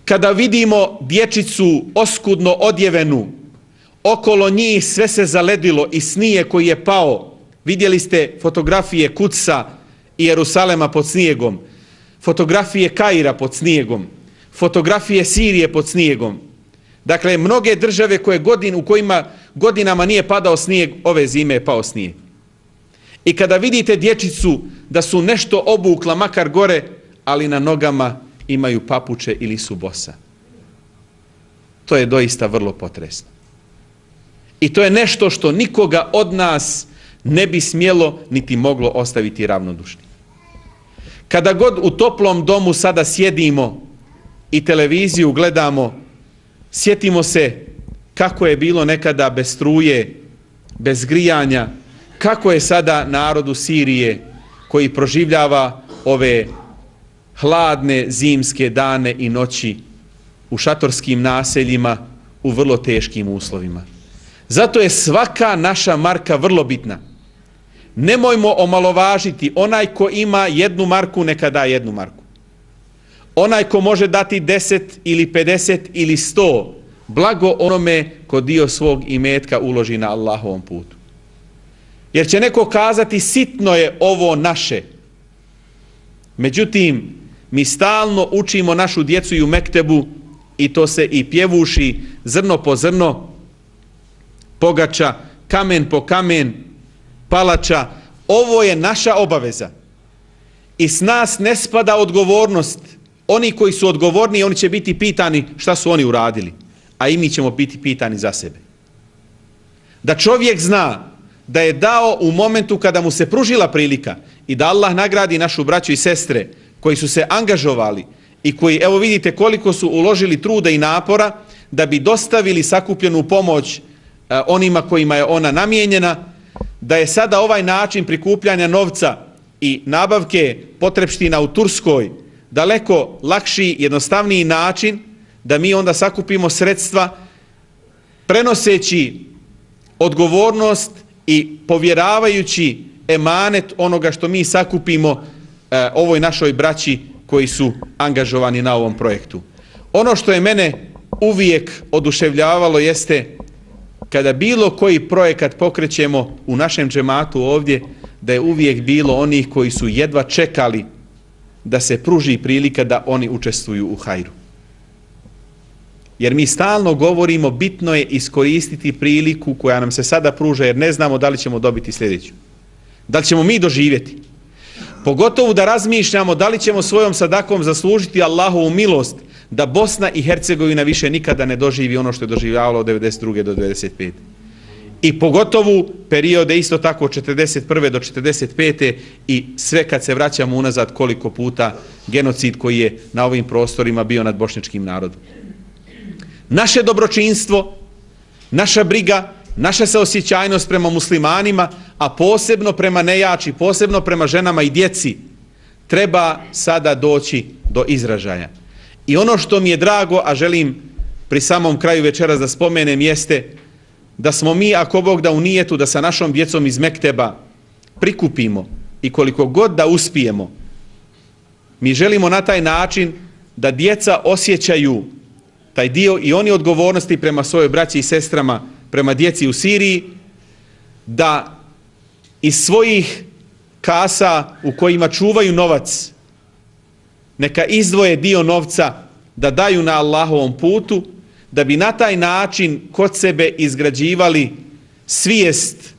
Kada vidimo dječicu oskudno odjevenu, okolo njih sve se zaledilo i snije koji je pao. Vidjeli ste fotografije Kudsa i Jerusalema pod snijegom, fotografije Kaira pod snijegom, fotografije Sirije pod snijegom. Dakle, mnoge države koje godin, u kojima godinama nije padao snijeg, ove zime je pao snijeg. I kada vidite dječicu da su nešto obukla, makar gore, ali na nogama imaju papuče ili su bosa. To je doista vrlo potresno. I to je nešto što nikoga od nas ne bi smjelo niti moglo ostaviti ravnodušni. Kada god u toplom domu sada sjedimo i televiziju gledamo, sjetimo se kako je bilo nekada bez struje, bez grijanja, kako je sada narodu Sirije koji proživljava ove hladne zimske dane i noći u šatorskim naseljima u vrlo teškim uslovima. Zato je svaka naša marka vrlo bitna. Nemojmo omalovažiti, onaj ko ima jednu marku neka da jednu marku. Onaj ko može dati deset ili pedeset ili sto, blago onome ko dio svog imetka uloži na Allahovom putu. Jer će neko kazati sitno je ovo naše. Međutim, mi stalno učimo našu djecu i u mektebu i to se i pjevuši zrno po zrno, pogača, kamen po kamen, palača. Ovo je naša obaveza. I s nas ne spada odgovornost. Oni koji su odgovorni, oni će biti pitani šta su oni uradili. A i mi ćemo biti pitani za sebe. Da čovjek zna da je dao u momentu kada mu se pružila prilika i da Allah nagradi našu braću i sestre koji su se angažovali i koji, evo vidite koliko su uložili truda i napora da bi dostavili sakupljenu pomoć eh, onima kojima je ona namijenjena, da je sada ovaj način prikupljanja novca i nabavke potrepština u Turskoj daleko lakši, jednostavniji način da mi onda sakupimo sredstva prenoseći odgovornost i povjeravajući emanet onoga što mi sakupimo e, ovoj našoj braći koji su angažovani na ovom projektu. Ono što je mene uvijek oduševljavalo jeste kada bilo koji projekat pokrećemo u našem džematu ovdje, da je uvijek bilo onih koji su jedva čekali da se pruži prilika da oni učestvuju u hajru. Jer mi stalno govorimo bitno je iskoristiti priliku koja nam se sada pruža jer ne znamo da li ćemo dobiti sljedeću. Da li ćemo mi doživjeti. Pogotovo da razmišljamo da li ćemo svojom sadakom zaslužiti Allahovu milost da Bosna i Hercegovina više nikada ne doživi ono što je doživljavalo od devedeset druge do devedeset pete. I pogotovo periode isto tako od četrdeset prve do četrdeset pete i sve kad se vraćamo unazad koliko puta genocid koji je na ovim prostorima bio nad bošnjačkim narodom. Naše dobročinstvo, naša briga, naša saosjećajnost prema muslimanima, a posebno prema nejači, posebno prema ženama i djeci, treba sada doći do izražaja. I ono što mi je drago, a želim pri samom kraju večeras da spomenem, jeste da smo mi, ako Bog da, u nijetu da sa našom djecom iz Mekteba prikupimo i koliko god da uspijemo, mi želimo na taj način da djeca osjećaju taj dio i oni odgovornosti prema svojoj braći i sestrama, prema djeci u Siriji, da iz svojih kasa u kojima čuvaju novac, neka izdvoje dio novca da daju na Allahovom putu, da bi na taj način kod sebe izgrađivali svijest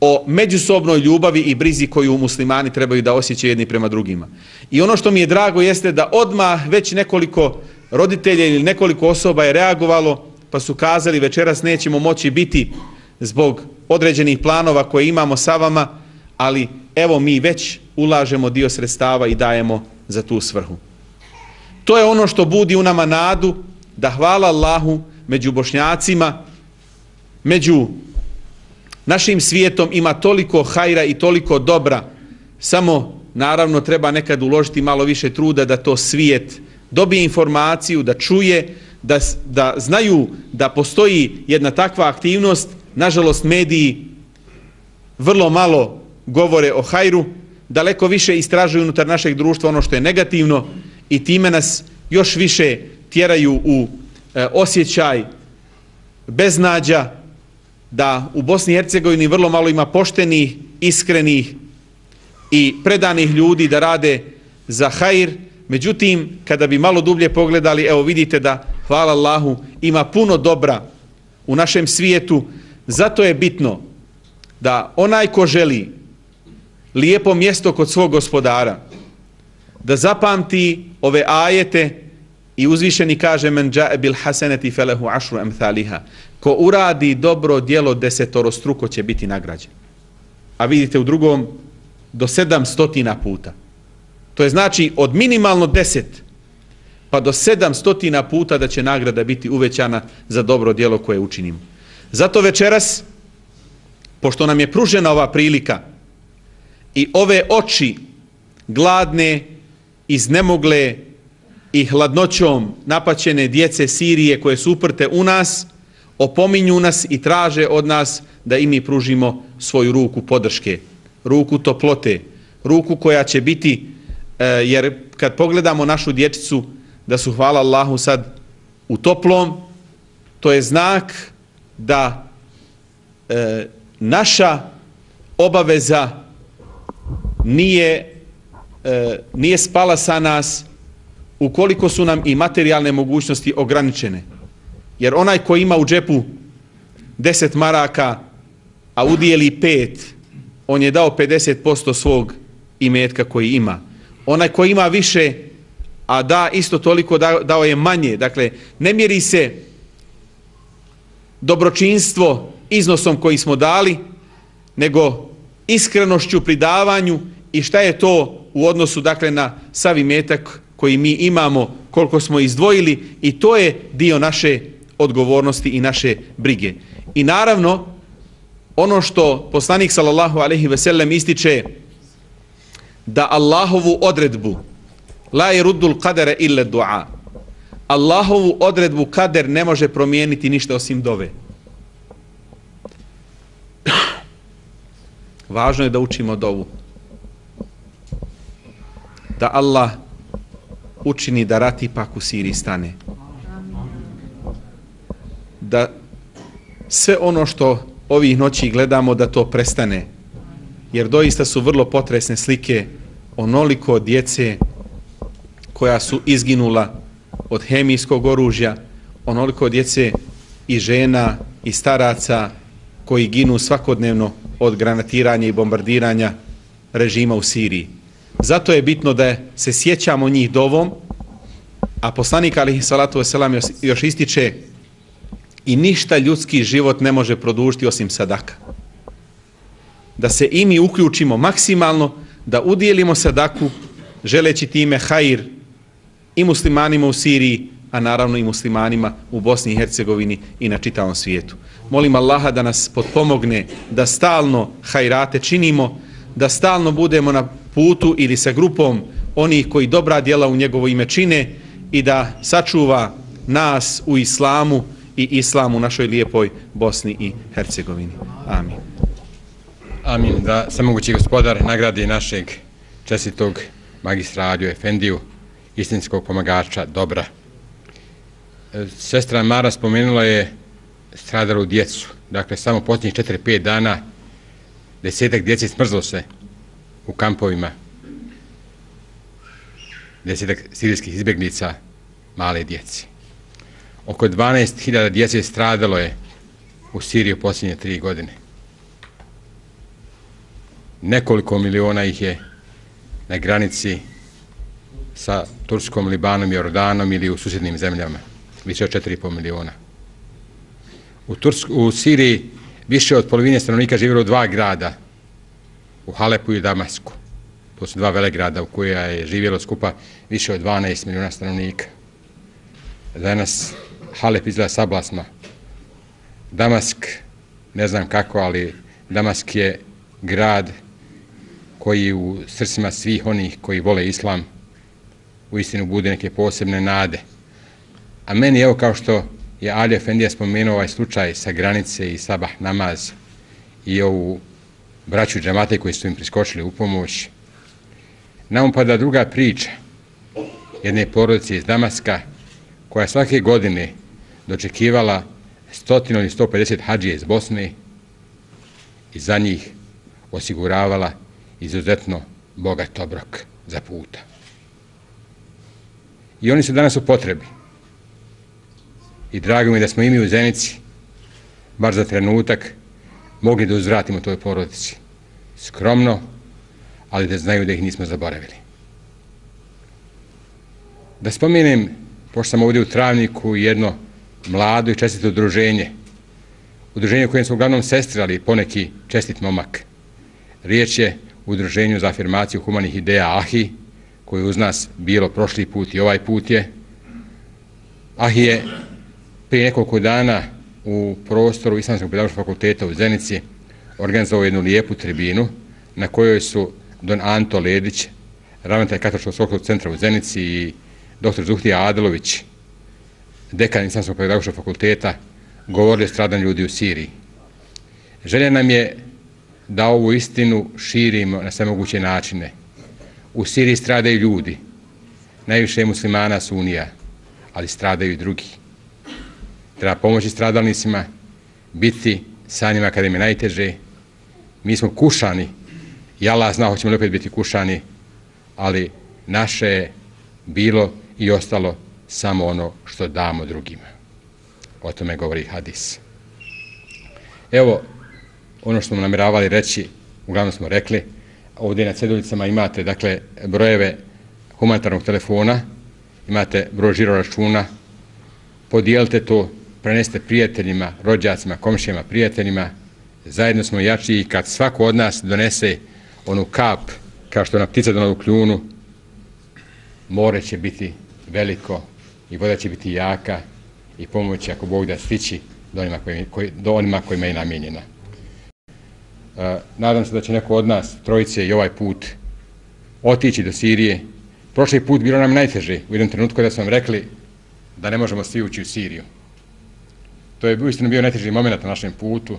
o međusobnoj ljubavi i brizi koju muslimani trebaju da osjećaju jedni prema drugima. I ono što mi je drago jeste da odmah već nekoliko roditelja ili nekoliko osoba je reagovalo, pa su kazali večeras nećemo moći biti zbog određenih planova koje imamo sa vama, ali evo mi već ulažemo dio sredstava i dajemo za tu svrhu. To je ono što budi u nama nadu da, hvala Allahu, među Bošnjacima, među našim svijetom ima toliko hajra i toliko dobra, samo naravno treba nekad uložiti malo više truda da to svijet dobije informaciju, da čuje, da, da znaju da postoji jedna takva aktivnost. Nažalost, mediji vrlo malo govore o hajru, daleko više istražuju unutar našeg društva ono što je negativno i time nas još više tjeraju u e, osjećaj beznađa, da u Bosni i Hercegovini vrlo malo ima poštenih, iskrenih i predanih ljudi da rade za hajr. Međutim, kada bi malo dublje pogledali, evo vidite da, hvala Allahu, ima puno dobra u našem svijetu. Zato je bitno da onaj ko želi lijepo mjesto kod svog gospodara, da zapamti ove ajete i uzvišeni kaže men džae bil haseneti felehu ašru emthaliha. Ko uradi dobro djelo desetorostruko će biti nagrađen. A vidite u drugom do sedam stotina puta. To je znači od minimalno deset pa do sedam stotina puta da će nagrada biti uvećana za dobro djelo koje učinimo. Zato večeras, pošto nam je pružena ova prilika i ove oči gladne, iznemogle i hladnoćom napaćene djece Sirije koje su uprte u nas, opominju nas i traže od nas da i mi pružimo svoju ruku podrške, ruku toplote, ruku koja će biti, jer kad pogledamo našu dječicu da su, hvala Allahu, sad u toplom, to je znak da e, naša obaveza nije, e, nije spala sa nas ukoliko su nam i materijalne mogućnosti ograničene. Jer onaj ko ima u džepu deset maraka, a udijeli pet, on je dao pedeset posto svog imetka koji ima. Onaj ko ima više, a da isto toliko, dao je manje. Dakle, ne mjeri se dobročinstvo iznosom koji smo dali, nego iskrenošću pri davanju i šta je to u odnosu, dakle, na sav imetak koji mi imamo, koliko smo izdvojili, i to je dio naše odgovornosti i naše brige. I naravno, ono što poslanik sallallahu alejhi ve sellem ističe, da Allahovu odredbu la yeruddul qadara illa du'a, Allahovu odredbu kader ne može promijeniti ništa osim dove. Važno je da učimo dovu, da Allah učini da rat ipak u Siriji stane, da sve ono što ovih noći gledamo da to prestane, jer doista su vrlo potresne slike onoliko djece koja su izginula od hemijskog oružja, onoliko djece i žena i staraca koji ginu svakodnevno od granatiranja i bombardiranja režima u Siriji. Zato je bitno da se sjećamo njih dovom, a poslanik alejhi salatu vesselam još ističe i ništa ljudski život ne može produžiti osim sadaka. Da se i mi uključimo maksimalno, da udijelimo sadaku, želeći time hajr i muslimanima u Siriji, a naravno i muslimanima u Bosni i Hercegovini i na čitavom svijetu. Molim Allaha da nas potpomogne, da stalno hajrate činimo, da stalno budemo na putu ili sa grupom onih koji dobra djela u njegovo ime čine i da sačuva nas u islamu i islamu u našoj lijepoj Bosni i Hercegovini. Amin. Amin. Da samogući gospodar nagradi našeg čestitog magistra Adiju Efendiju, istinskog pomagača dobra. Sestra Mara spomenula je stradalu djecu. Dakle, samo posljednjih četiri pet dana desetak djece smrzlo se u kampovima. Desetak sirijskih izbjegnica male djeci. Oko dvanaest hiljada djece stradalo je u Siriji u posljednje tri godine. Nekoliko miliona ih je na granici sa Turskom, Libanom i Jordanom ili u susjednim zemljama. Više od četiri i pol miliona. U, Tursk, u Siriji više od polovine stanovnika živjelo u dva grada, u Halepu i Damasku. To su dva velegrada u koja je živjelo skupa više od dvanaest miliona stanovnika. Danas Halep izgleda sablasma. Damask, ne znam kako, ali Damask je grad koji u srcima svih onih koji vole islam uistinu bude neke posebne nade. A meni, evo kao što je Ali Efendija spomenuo ovaj slučaj sa granice i sabah namaz i ovu braću džamate koji su im priskočili u pomoć, nam upada druga priča jedne porodice iz Damaska koja svake godine dočekivala stotinu ili sto pedeset hadžija iz Bosne i za njih osiguravala izuzetno bogat obrok za puta. I oni su danas u potrebi. I drago mi da smo i mi u Zenici, bar za trenutak, mogli da uzvratimo toj porodici. Skromno, ali da znaju da ih nismo zaboravili. Da spomenem, pošto sam ovdje u Travniku, jedno mlado i čestito udruženje. Udruženje u kojem su uglavnom sestre, ali poneki čestit momak. Riječ je o udruženju za afirmaciju humanih ideja Ahi, koji uz nas bilo prošli put i ovaj put je. Ahi je prije nekoliko dana u prostoru Islamskog pedagoškog fakulteta u Zenici organizovao jednu lijepu tribinu na kojoj su don Anto Ledić, ravnatelj Katoličkog svjetskog centra u Zenici, i doktor Zuhtija Adelović, dekan Islamskog pedagoškog fakulteta, govorili o stradanju ljudi u Siriji. Želja nam je da ovu istinu širimo na sve moguće načine. U Siriji stradaju ljudi, najviše muslimana sunija, ali stradaju i drugi. Treba pomoći stradalnicima, biti sa njima kada im je najteže. Mi smo kušani, i Allah zna hoćemo li opet biti kušani, ali naše je bilo i ostalo samo ono što damo drugima. O tome govori hadis. Evo, ono što smo namjeravali reći, uglavnom smo rekli. Ovdje na ceduljicama imate, dakle, brojeve humanitarnog telefona, imate broj žiro računa, podijelite to, prenesite prijateljima, rođacima, komšijama, prijateljima. Zajedno smo jači i kad svako od nas donese onu kap, kao što je ona ptica donala u kljunu, more će biti veliko i voda će biti jaka i pomoć, ako Bog da, stići do onima, koji, koji, do onima kojima je namijenjena. Uh, nadam se da će neko od nas, trojice, i ovaj put otići do Sirije. Prošli put bilo nam najteže u jednom trenutku kada su vam rekli da ne možemo svi ući u Siriju. To je uistinu bio najteži moment na našem putu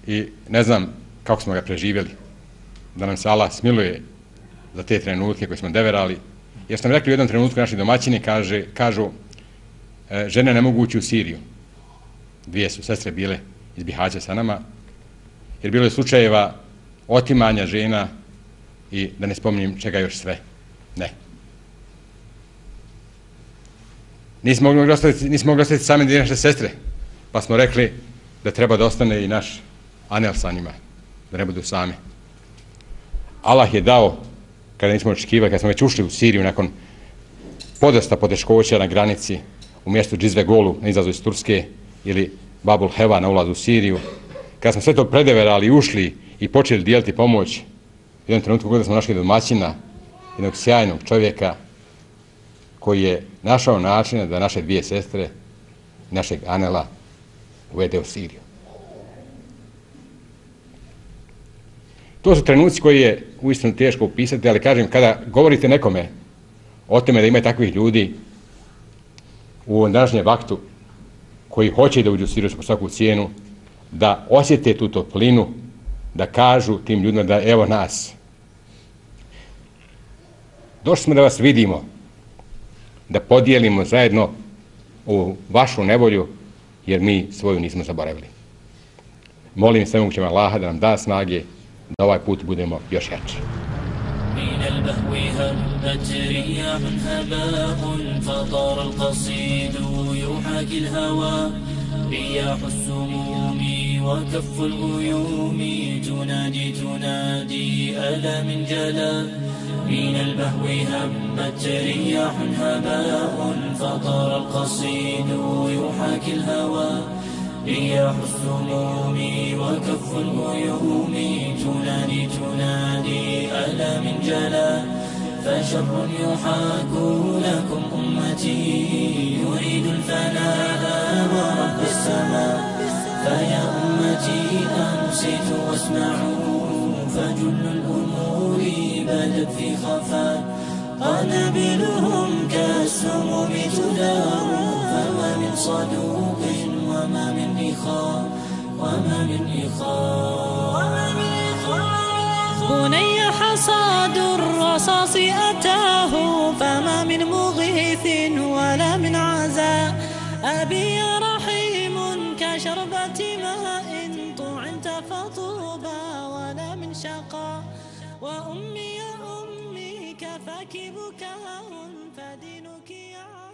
i ne znam kako smo ga preživjeli. Da nam se Allah smiluje za te trenutke koje smo deverali. Jer smo rekli u jednom trenutku naši domaćini kaže, kažu e, žene ne mogu ući u Siriju. Dvije su sestre bile iz Bihaća sa nama, jer bilo je slučajeva otimanja žena i da ne spominjem čega još sve. Ne. Nismo mogli ostaviti, nismo mogli ostaviti same dvije naše sestre, pa smo rekli da treba da ostane i naš Anel sa njima, da ne budu sami. Allah je dao, kada nismo očekivali, kada smo već ušli u Siriju nakon podosta poteškoća na granici u mjestu Džizve Golu na izlazu iz Turske ili Babul Heva na ulazu u Siriju, kada smo sve to predeverali i ušli i počeli dijeliti pomoć, u jednom trenutku kada smo našli domaćina, jednog sjajnog čovjeka koji je našao načina da naše dvije sestre, našeg Anela, uvede u Siriju. To su trenuci koji je uistinu teško upisati, ali kažem, kada govorite nekome o tome da ima takvih ljudi u ovom današnjem vaktu koji hoće da uđu u Siriju po svaku cijenu, da osjete tu toplinu, da kažu tim ljudima da evo nas. Došli smo da vas vidimo, da podijelimo zajedno ovu vašu nevolju, jer mi svoju nismo zaboravili. Molim svemogućeg Allaha da nam da snage da ovaj put budemo još jači. من البهو هبت رياح هباء فطار القصيد يحاكي الهوى رياح السموم وكف الغيوم تنادي تنادي ألا من جلا من البهو هبت رياح هباء فطار القصيد يحاكي الهوى رياح السموم وكف الغيوم تنادي تنادي ألا من جلا فشر يحاك لكم أمتي يريد الفناء ورب السماء فيا أمتي أنصتوا واسمعوا فجل الأمور بدت في خفاء قنابلهم كالسموم تدار فما من صدوق وما من إخاء وما من إخاء بني حصاد الرصاص أتاه فما من مغيث ولا من عزاء أبي رحيم كشربة ماء طعنت فطوبى ولا من شقاء وأمي يا أمي كفاك بكاء فدينك يا